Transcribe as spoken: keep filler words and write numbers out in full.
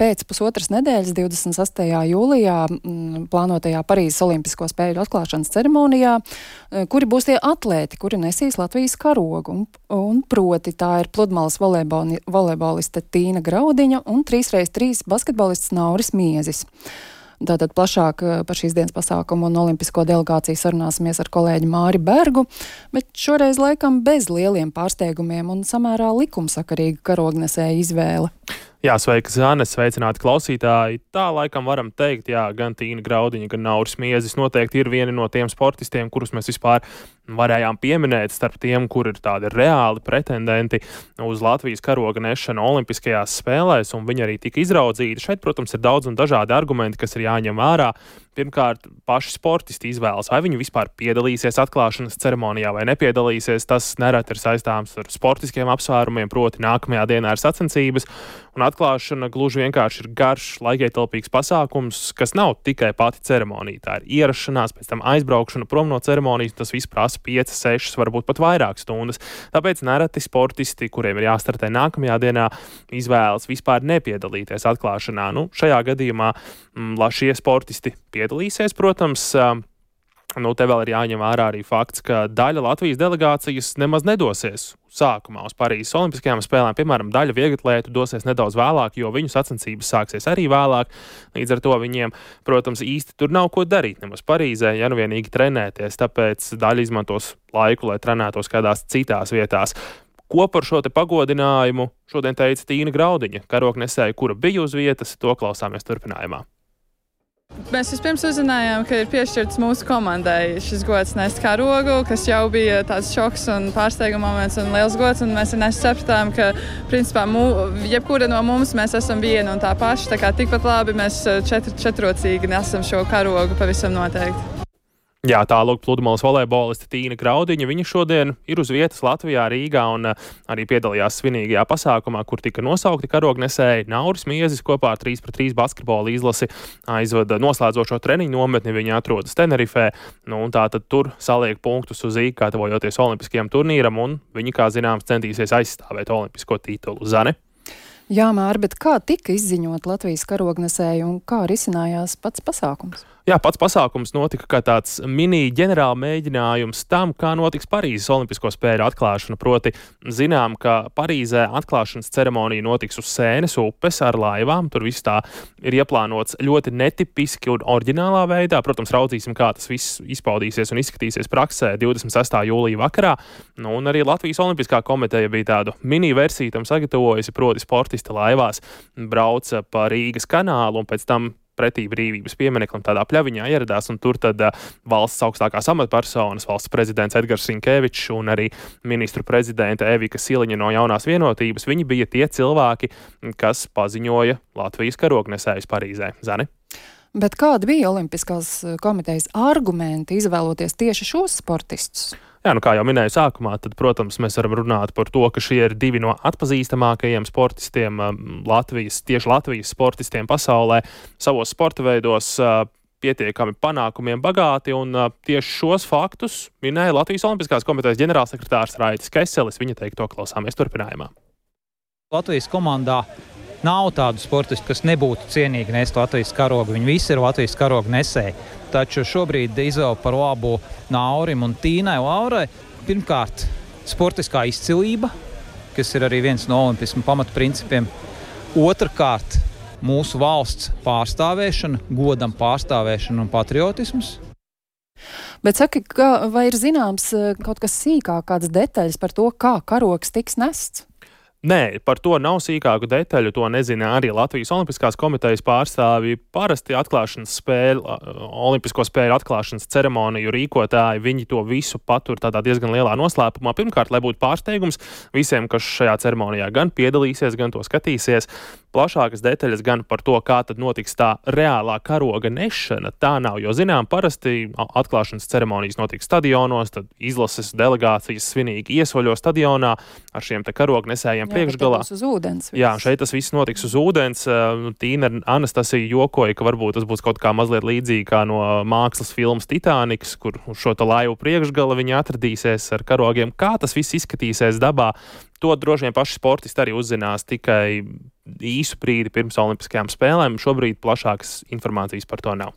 pēc pusotras nedēļas, divdesmit sastajā jūlijā, m, plānotajā Parīzes Olimpisko spēļu atklāšanas ceremonijā, kuri būs tie atlēti, kuri nesīs Latvijas karogu. Un, un proti tā ir pludmales volejboliste Tīna Graudiņa un trīs reiz trīs basketbolists Nauris Miezis. Tātad plašāk par šīs dienas pasākumu un olimpisko delegāciju sarunāsimies ar kolēģi Māri Bergu, bet šoreiz laikam bez lieliem pārsteigumiem un samērā likumsakarīga karognesēja izvēle. Jā, sveika, Zane, sveicināti klausītāji. Tā laikam varam teikt, jā, gan Tīna Graudiņa, gan Nauris Miezis noteikti ir vieni no tiem sportistiem, kurus mēs vispār varējām pieminēt starp tiem, kur ir tādi reāli pretendenti uz Latvijas karoga nešanu olimpiskajās spēlēs, un viņi arī tika izraudzīti. Šeit, protams, ir daudz un dažādi argumenti, kas ir jāņem vērā. Pirmkārt, paši sportisti izvēlas, vai viņi vispār piedalīsies atklāšanas ceremonijā vai nepiedalīsies. Tas nereti ir saistāms ar sportiskiem apsvērumiem, proti nākamajā dienā ir sacensības, un atklāšana gluži vienkārši ir garš, laikietilpīgs pasākums, kas nav tikai pati ceremonija. Tā ir ierašanās, pēc tam aizbraukšana prom no ceremonijas, tas viss prasa piecas, sešas, varbūt pat vairāk stundas. Tāpēc nereti sportisti, kuriem ir jāstartē nākamajā dienā, izvēlas vispār nepiedalīties atklāšanā. Nu, šajā gadījumā m, šie sportisti piedalīsies, protams. Nu, te vēl ir jāņem vērā arī fakts, ka daļa Latvijas delegācijas nemaz nedosies sākumā uz Parīzes Olimpiskajām spēlēm. Piemēram, daļa vieglatlētu dosies nedaudz vēlāk, jo viņu sacensības sāksies arī vēlāk. Līdz ar to viņiem, protams, īsti tur nav ko darīt nemaz Parīzē, ja nu vienīgi trenēties. Tāpēc daļa izmantos laiku, lai trenētos kādās citās vietās. Ko par šo te pagodinājumu šodien teica Tīna Graudiņa, karognesēja, kura bija uz vietas, to klausāmies turpinājumā. Mēs vispirms uzzinājām, ka ir piešķirts mūsu komandai šis gods nest karogu, kas jau bija tāds šoks un pārsteiguma moments un liels gods, un mēs sapratām, ka principā mū, jebkura no mums mēs esam viena un tā paša, tā kā tikpat labi mēs četr, četrocīgi nesam šo karogu pavisam noteikti. Jā, tālūk pludmales volejboliste Tīna Graudiņa. Viņa šodien ir uz vietas Latvijā, Rīgā, un arī piedalījās svinīgajā pasākumā, kur tika nosaukti karognesēji. Nauris Miezis kopā ar trīs pret trīs basketbola izlasi aizvada noslēdzošo treniņu nometni. Viņa atrodas Tenerifē, nu, un tā tad tur saliek punktus uz īku, gatavojoties olimpiskajam turnīram, un viņi, kā zināms, centīsies aizstāvēt olimpisko titulu. Zane? Jā, Māri, bet kā tika izziņot Latvijas karognesēju un kā risinājās pats pasākums? Jā, pats pasākums notika kā tāds mini ģenerāla mēģinājums tam, kā notiks Parīzes Olimpisko spēļu atklāšana. Proti, zinām, ka Parīzē atklāšanas ceremonija notiks uz Sēnes upes ar laivām. Tur viss tā ir ieplānots ļoti netipiski un oriģinālā veidā. Protams, raudzīsim, kā tas viss izpaudīsies un izskatīsies praksē divdesmit sestā jūlija vakarā. Nu, un arī Latvijas Olimpiskā komiteja bija tādu mini versiju tam sagatavojusi, proti sportisti laivās brauca pa Rīgas kanālu un pēc tam pretī brīvības piemineklim tādā pļaviņā ieradās, un tur tad uh, valsts augstākās amatpersonas, valsts prezidents Edgars Rinkevičs un arī ministru prezidente Evika Siliņa no Jaunās vienotības, viņi bija tie cilvēki, kas paziņoja Latvijas karognesējus Parīzē. Zani? Bet kādi bija Olimpiskās komitejas argumenti izvēloties tieši šos sportistus? Jā, nu kā jau minēju sākumā, tad, protams, mēs varam runāt par to, ka šie ir divi no atpazīstamākajiem sportistiem Latvijas, tieši Latvijas sportistiem pasaulē, savos sporta veidos pietiekami panākumiem bagāti, un tieši šos faktus minēja Latvijas Olimpiskās komitejas ģenerālsekretārs Raitis Keselis. Viņa teikto klausāmies turpinājumā. Latvijas komandā nav tādu sportistu, kas nebūtu cienīgi nest Latvijas karogu. Viņi visi ir Latvijas karogu nesēji. Taču šobrīd izvēle par labu Naurim un Tīnai Laurai. Pirmkārt, sportiskā izcilība, kas ir arī viens no olimpismu pamatprincipiem. Otrkārt, mūsu valsts pārstāvēšana, godam pārstāvēšana un patriotisms. Bet saki, ka, vai ir zināms kaut kas sīkāk, kādas detaļas par to, kā karogs tiks nests? Nē, par to nav sīkāku detaļu, to nezina arī Latvijas Olimpiskās komitejas pārstāvji. Parasti atklāšanas spēļu, olimpisko spēļu atklāšanas ceremoniju rīkotāji, viņi to visu patur tādā diezgan lielā noslēpumā. Pirmkārt, lai būtu pārsteigums visiem, kas šajā ceremonijā gan piedalīsies, gan to skatīsies. Plašākas detaļas gan par to, kā tad notiks tā reālā karoga nešana, tā nav, jo zinām, parasti atklāšanas ceremonijas notiek stadionos, tad izlases delegācijas svinīgi iesvaļo stadionā ar šiem te karognesējiem. priekšgalā. Uz ūdens, Jā, šeit tas viss notiks uz ūdens. Tīna Anastasija jokoja, ka varbūt tas būs kaut kā mazliet līdzīgi kā no mākslas filmas Titaniks, kur uz šo tā laivu priekšgala viņi atradīsies ar karogiem. Kā tas viss izskatīsies dabā, to droši vien paši sportisti arī uzzinās tikai īsu brīdi pirms olimpiskajām spēlēm. Šobrīd plašākas informācijas par to nav.